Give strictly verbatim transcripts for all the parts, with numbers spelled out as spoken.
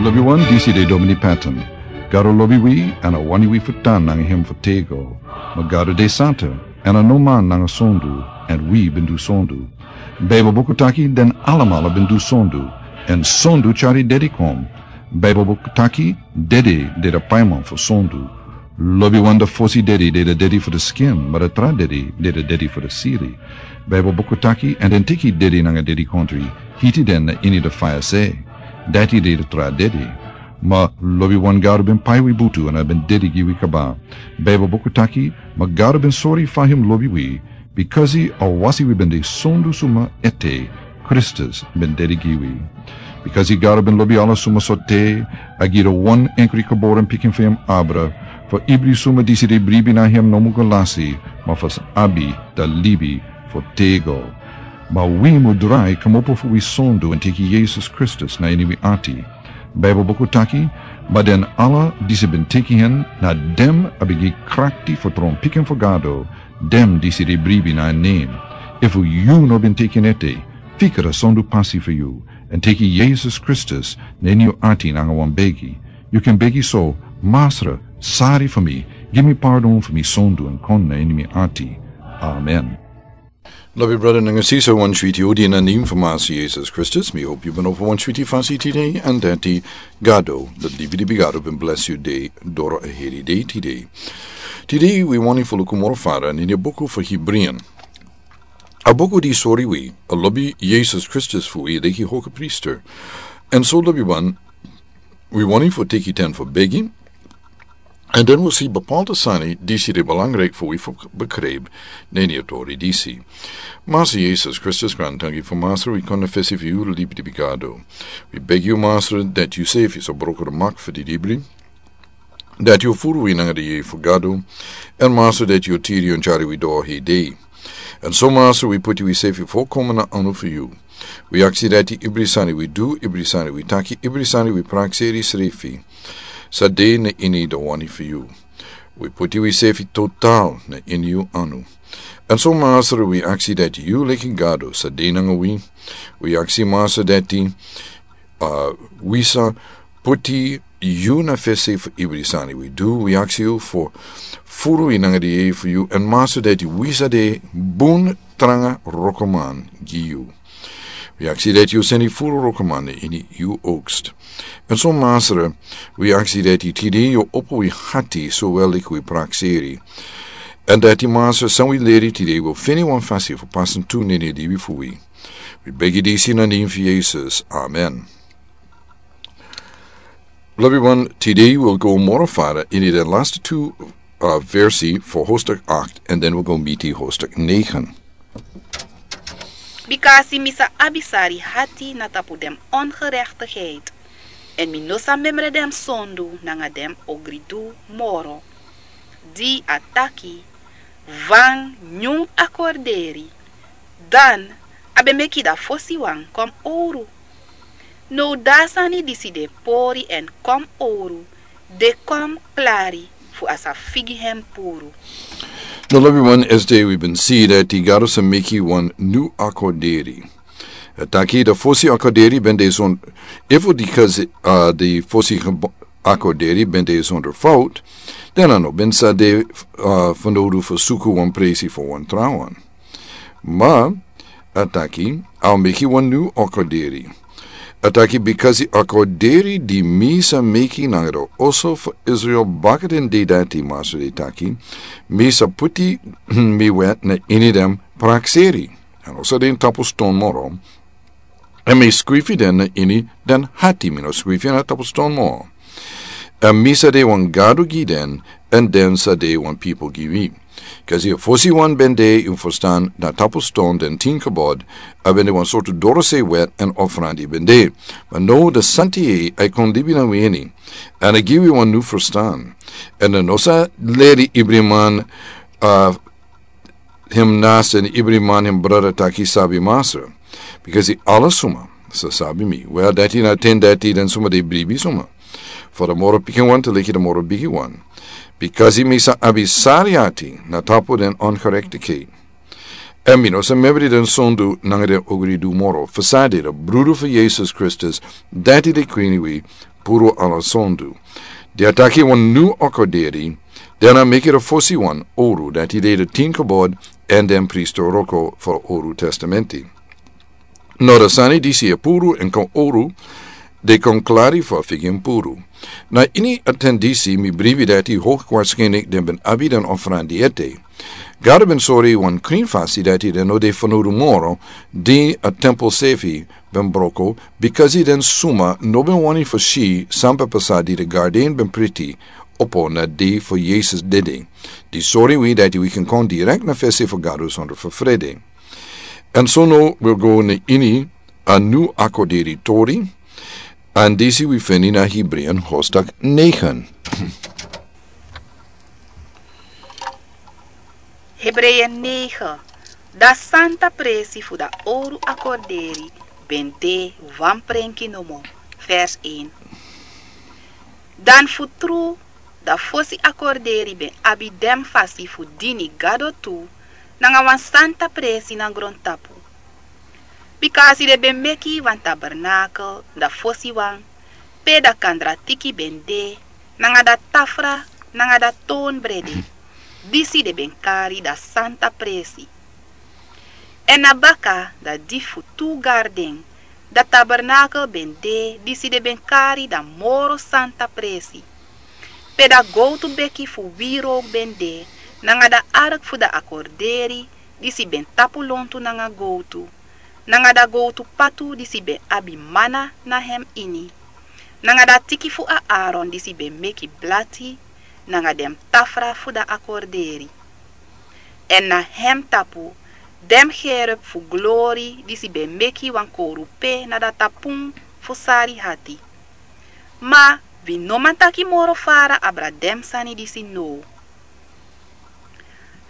Lobi wan, disi de Domini Patton. Gado lobi wi, èn a wani wi fu tan nanga hem fu tego. Ma Gado de santa, èn a no man nanga sondu, èn wi ben du sondu. Baibel buku taki den alamala ben du sondu, èn sondu tyari dedi kon. Baibel buku taki dedi de de paiman fu sondu. Lobi wan, da fosi dedi de de dedi fu de skin, ma da tra dedi de de dedi fu de siri. Baibel buku taki, èn den teki dedi nanga dedi kontri, hiti den na ini de faya se. Dati de de tra dedi. Ma lobi wan, Gado ben pai wi butu èn a ben dedi gi wi kaba. Baibel buku taki, ma Gado ben sori fa hem lobi wi, bikasi a wasi wi ben de sondu suma ete, Kristus ben dedi gi wi. Bikasi Gado ben lobi ala suma so te, a gi de wan enkri geboren pikin fu hem abra, fu ibri suma disi de bribi na hem no mu go lasi, ma fu sa abi da libi fu tego. Ma wi mu drai komopo fu wi sondu èn teki Yesus Kristus na ini wi ati. Baibel buku taki, ma den ala disi ben teki hen, na dem a ben gi krakti fu tron pikin fu Gado, dem disi de bribi na en nen. Efu yu no ben teki en ete, fika da sondu pasi fu yu, èn teki Yesus Kristus na ini yu ati nanga wan begi. Yu kan begi so: Masra, sari fu mi, gi mi pardon fu mi sondu èn kon na ini mi ati. Amen. Lobi brada nanga sisa, wan switi odi na nen fu Masra Yesus Kristus. Mi hopi yu ben opo wan switi fasi tide, èn dati Gado, da libi libi Gado ben blesi yu de doro a heri de tide. Tide wi wani fu luku moro fara na ini a buku fu Hibrian. A buku di sori wi a lobi Yesus Kristus fu wi leki hogepriester. Èn so lobi wan, wi wani fu teki ten fu begi, èn den wi si bepaalde sani disi de belangrijk fu wi fu begrijp na ini a tori disi. Masra Yesus Kristus, grantangi fu Masra, wi kon na fesi fu yu libi libi Gado. Wi begi yu Masra dati yu sefi sa broko de mak fu di libri, dati yu furu wi nanga di yei fu Gado, èn Masra dati yu tiri yu èn tyari wi doro hei dei. Èn so Masra, wi puti wi sefi folkomen na anu fu yu. Wi aksi dati ibri sani wi du, ibri sani wi taki, ibri sani wi prakseri srefi, sa de na ini de wani fu yu. Wi puti wi sefi total na ini yu anu. Èn so Masra, wi aksi dati yu leki Gado sa de nanga wi. Wi aksi Masra dati, a, wi sa puti yu na fesi fu ibri sani wi du. Wi aksi yu fu furu wi nanga di yei fu yu, èn Masra dati wi sa de bun tranga rokoman gi yu. Wi aksi dati yu seni furu rokoman na ini yu oogst. Èn so Masra, wi aksi dati tide yu opo wi hati so wel leki wi prakseri. Èn dati Masra, san wi leri tide wi feni wan fasi fu pasen tu na ini a libi fu wi. Wi begi disi na nen fu Yesus. Amen. Lobi wan, tide wi go moro fara ini de laste tu, a, versi fu hoofdstuk acht, èn den wi go miti hoofdstuk negen. Bikasi mi sa abi sari hati na tapu den ongerechtigheid, èn mi no sa memre den sondu nanga den ogridu moro. Di a taki: Wan nyun akorderi, dan a ben meki da fosi wan kon owru. Now da a sani disi de pori èn kon owru, de kon klari fu a sa figi hen puru. No, lobi wan, esde wi ben si dati Gado sa meki wan nyun akorderi. A taki da fosi akorderi ben de son, efu dikasi, a, di fosi gebo-, akorderi ben de zonder fout, dan a no ben sa de, a, fanodu fu suku wan presi fu wan trawan. Ma a taki a o meki wan nyun akorderi. A taki, bikasi akorderi di mi sa meki nanga den oso fu Israel baka den dei dati, Masra e taki, mi sa puti mi wet na ini den prakseri. Èn a no sa de na tapu ston moro. Èn mi skrifi den na ini den hati, mi no skrifi na tapu ston moro. Èn mi sa de wan Gado gi den, èn den sa de wan pipel gi mi. Kasi a fosi wan ben de, yu ferstan, na tapu ston den tin kebod, a ben de wan sortu dorose wet èn ofrandi ben de. Ma now da Santi e, a e kon libi na wi ini. Èn a gi wi wan nyun ferstan. Èn a no sa leri ibri man, a, hem naaste èn ibri man hem brada taki sabi Masra. Bikasi ala suma sa sabi mi. Wel, dati na ten dati den suma de bribi suma. Fu den moro pikin wan te leki den moro bigi wan. Bikasi mi sa abi sari ati na tapu den ongerechtigheid. Èn mi no sa memre den sondu nanga den ogridu moro. Fu san de, da brudu fu Yesus Kristus, dati de krin wi, puru ala sondu. Di a taki wan nu akorderi, den a meki de fosi wan oru, dati de de tin kabod, èn den priester wroko fu a oru testamenti. No, de sani disi e puru èn kon oru, de kon klari fu a figi en puru. Na ini a ten disi mi bribi dati hoge waarschijnlijk den ben abi den ofrandi ete. Gado ben sori wan krin fasi dati den no de fanowdu moro, di a tempel srefi ben broko, bikasi den suma no ben wani fu si san ben pasa di de garden ben priti opo na dei fu Yesus dede. Di sori wi dati wi kan kon direkt na fesi fu Gado sonder fu frede. Èn so now wi go na ini a nu akorderi tori, èn disi wi feni na Hebreeën hoofdstuk negen. Hebreeën negen. Da santa presi fu da oru akorderi ben de wan prenki nomo. Vers een. Dan fu tru, da fosi akorderi ben abi den fasi fu dini Gado tu, nanga wan santa presi na grontapu. Bikasi den ben meki wan tabernakel, da fosi wan, pe da kandratiki ben de, nanga da tafra, nanga da toonbrede, disi den ben kari da santa presi. Èn na baka da di fu tu garden, da tabernakel ben de, disi den ben kari da moro santa presi. Pe da gowtu beki fu wiri ben de, nanga da ark fu da akorderi, disi ben tapu lontu nanga gowtu, nanga da gowtu patu disi ben abi mana na hem ini, nanga da tiki fu Aaron disi ben meki blati, nanga den tafra fu da akorderi. Èn na hem tapu, den gerub fu glori disi ben meki wan kowrupe na da tapun fu sari hati. Ma wi no man taki moro fara abra den sani disi now.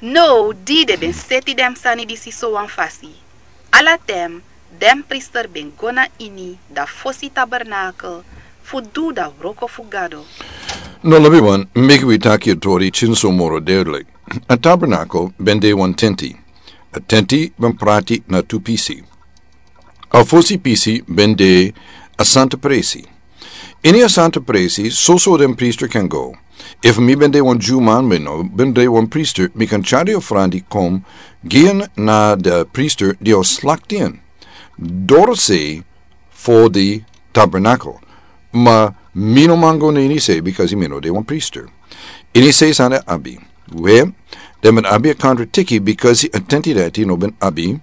Now di den ben seti den sani disi sowan fasi, ala ten den priester ben go na ini da fosi tabernakel fu du da wroko fu Gado. No, lobiwan, meki wi taki a tori tyenso moro duidelijk. A tabernakel ben de wan tenti. A tenti ben prati na tu pisi. A fosi pisi ben de a santa presi. Ini a santa presi, soso den priester kan go. Efu mi ben de wan Jew man, mi no ben de wan priester, mi kan tyari ofrandi kon gi en na de priester di o slakti en. Doro sei fu di tabernakel. Ma mi no man go na ini sei, bikasi mi no de wan priester. Ini sei san den abi. We, den ben abi a kandratiki, bikasi a tenti dati no ben abi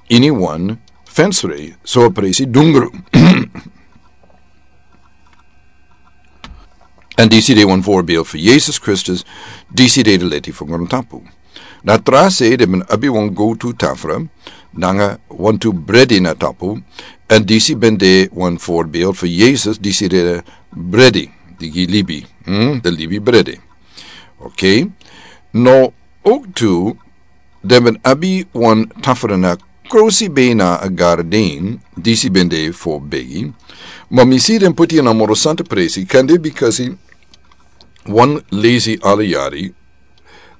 ini wan fensrei, so a presi dungru. Èn disi de wan voorbeeld fu Yesus Kristus, disi de de leti fu grontapu. Na tra sei den ben abi wan gowtu tafra, nanga wantu bredi na tapu, èn disi ben de wan voorbeeld fu Yesus, disi de de bredi, di gi libi, hmm, de libi bredi. Oké. No, ook tu, den ben abi wan tafra na krosi bena a garden, disi ben de fu begi. Ma mi si den poti en na moro santa presi, kande bikasi wan lesi ala yari,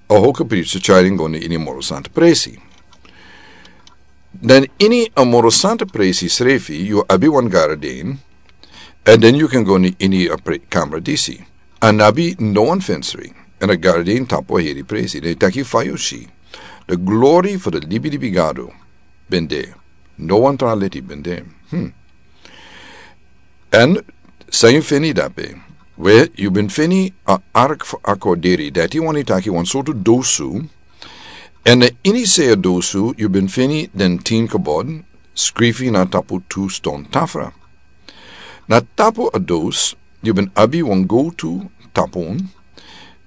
a hoge priester tyari en go na ini moro santa presi. Dan ini a moro santa presi srefi, yu abi wan garden, èn den yu kan go na ini a pre-, kamra disi. A no abi no wan fensrei, èn a garden tapu a heri presi, den taki fa yu si. De glori fu de libilibi Gado ben de. No wan tra leti ben de. Hmm. Èn san yu feni dape? We, yu ben feni a ark fu akorderi, dati wani taki wan sortu dosu. Èn na ini sei a dosu, yu ben feni den tin kabod, skrifi na tapu tu ston tafra. Na tapu a dos, yu ben abi wan gowtu tapun,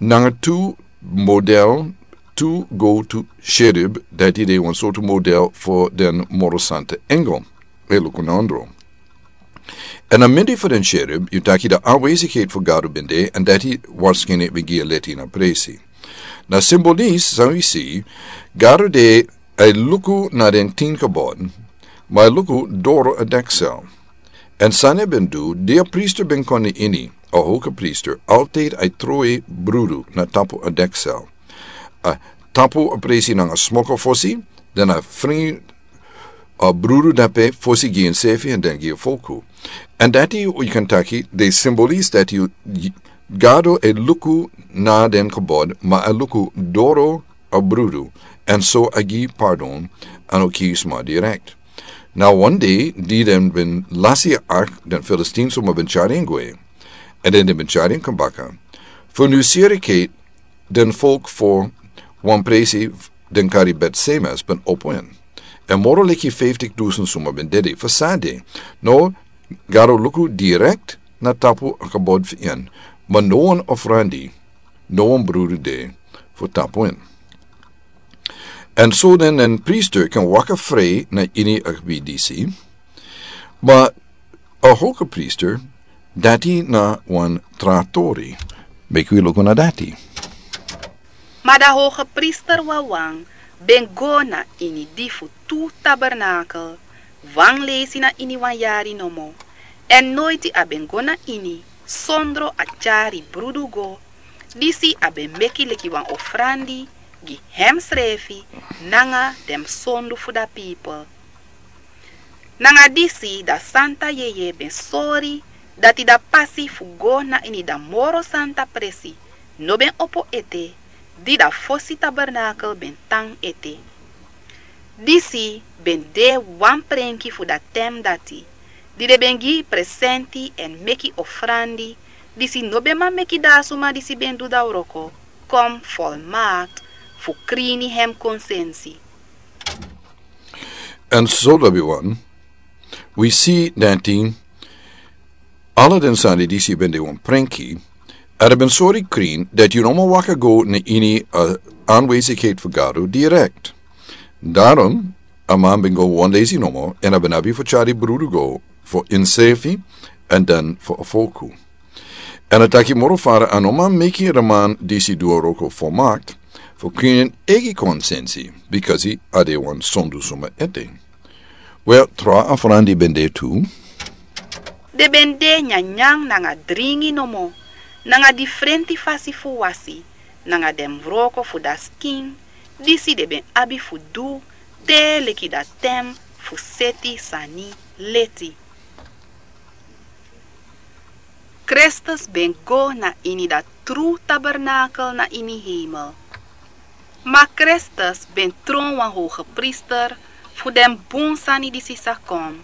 nanga tu model, tu gowtu cherub, dati de wan sortu model fu den moro santa engel. E luku na ondro. Èn a mindri fu den cherub, yu taki de aanwezigheid fu Gado ben de, èn dati waarschijnlijk ben gi a leti na presi. Na simbolis, san wi si, Gado de, a e luku na den tin kabod, ma a e luku doro a deksel. Èn san a ben du, di a priester ben kon na ini, a hoge priester, altijd a e trowe brudu na tapu a deksel. A tapu a presi nanga smoko fosi, dan a fring a brudu dape fosi gi ensefi èn den gi a folku. Èn dati yu kan taki de simbolis dati yu, Gado e luku na den kabod, ma a luku doro a brudu, èn so a gi pardon, a no kisi sma direkt. Na wan dei di den ben lasi a ark, den Filistin suma ben tyari en gwe, èn den, den ben tyari en kon baka. Fu nu siri keti den folku fu wan presi den kari Bet Semes ben opo en. Èn moro leki fiftik dusen suma ben dede fu sade. No, Gado luku direkt na tapu a kabod fu en, ma no wan ofrandi, no wan brudu de fu tapu en. Èn so den, den priester kan waka fri na ini a gebi disi, ma a hoge priester, dati na wan tra tori. Meki wi luku na dati. Ma da hoge priester wawan ben go na ini di fu tu tabernakel, wan leisi na ini wan yari nomo, èn noiti a ben go na ini sondro a tyari brudu go, disi a ben meki leki wan ofrandi gi hemsrefi nanga den sondu fu da pipel. Nanga disi da santa yeye ben sori dati da pasi fu go na ini da moro santa presi no ben opo ete, di da fosi tabernakel ben tan ete. Disi ben de wan prenki fu da tem dati, di den ben gi presenti èn meki ofrandi, disi no ben man meki da a suma disi ben du da wroko kon folmakti fu krini hem konsensi. Èn so lobi wan, wi si dati ala den sani disi ben de wan prenki, èn a ben sori krin dati yu no man waka go na ini a anwezigheid fu Gado direkt. Daarom a man ben go wan leisi nomo, èn a ben abi fu tyari brudu go fu ensefi èn dan fu a folku. Èn a taki moro fara a no man meki a man disi du a wroko folmakti fu krin en eigi konsensi, bikasi a de wan sondu suma ete. Wel, tra ofrandi ben de tu. Den ben de nyanyan nanga dringi nomo, nanga difrenti fasi fu wasi, nanga den wroko fu da skin, disi den ben abi fu du te leki da tem fu seti sani leti. Kristus ben go na ini da tru tabernakel na ini hemel. Ma Kristus ben tron wan hoge priester fu den bun sani disi sa kon,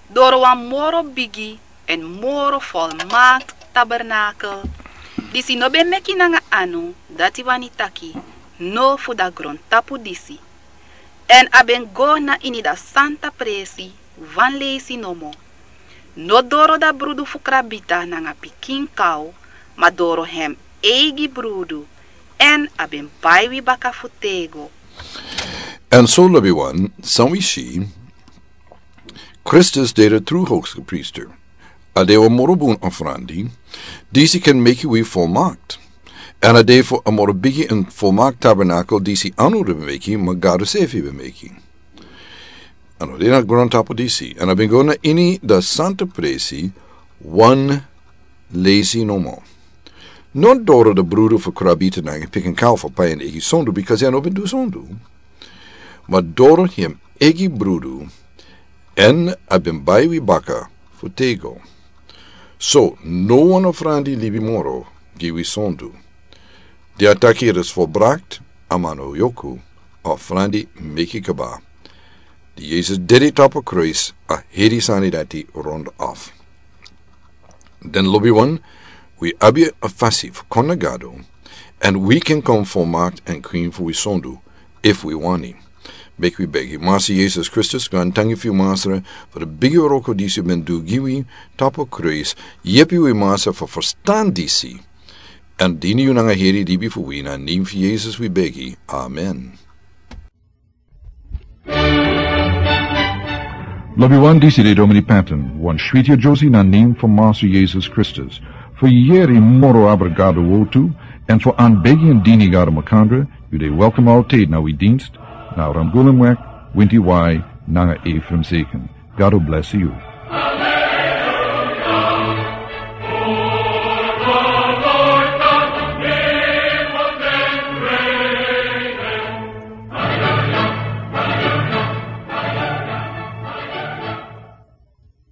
doro wan moro bigi èn moro folmakti tabernakel, disi no ben meki nanga anu, dati wani taki no fu da grontapu disi. Èn a ben go na ini da santa presi wan leisi nomo. No doro da brudu fu krabita nanga pikin kaw, ma doro hem eigi brudu, èn a ben bai wi baka fu tego. Èn so lobi wan, san wi si, Kristus de de tru hoge priester. A de wan moro bun ofrandi, disi kan meki wi folmakti. Èn a de fu a moro bigi èn folmakti tabernakel disi anu ben meki, ma Gado sefi ben meki. A no de na grontapu disi, èn a ben go na ini da santa presi wan leisi nomo. No doro da brudu fu krabita nanga pikin kaw fu pai en eigi sondu, bikasi a no ben du sondu. Ma doro hem eigi brudu, èn a ben bai wi baka fu tego. So no wan ofrandi libi moro gi wi sondu. Di a taki het is volbracht, a man no yoku, a ofrandi meki kaba. Di Yesus dede tapu kruis, a heri sani dati rond af. Den lobi wan, wi abi a fasi fu kon na Gado, èn wi kan kon folmakti èn krin fu wi sondu, efu wi wani. Meki wi begi. Masra Yesus Kristus, gaantangi fu yu Masra, fu da bigi wroko disi yu ben du gi wi tapu kruis. Yepi wi Masra fu ferstan disi. Èn dini yu nanga heri libi fu wi, na nen fu Yesus wi begi. Amen. Lobi wan, disi de Domini Patton, wan switi a Josie na nen fu Masra Yesus Kristus. Fu yeri moro abra Gado wortu, èn fu anbegi èn dini Gado makandra, yu de welkom altijd na wi dienst, na Ramgulumweg, Winti Wai, nanga Ephraim Zeken. Gado bless yu.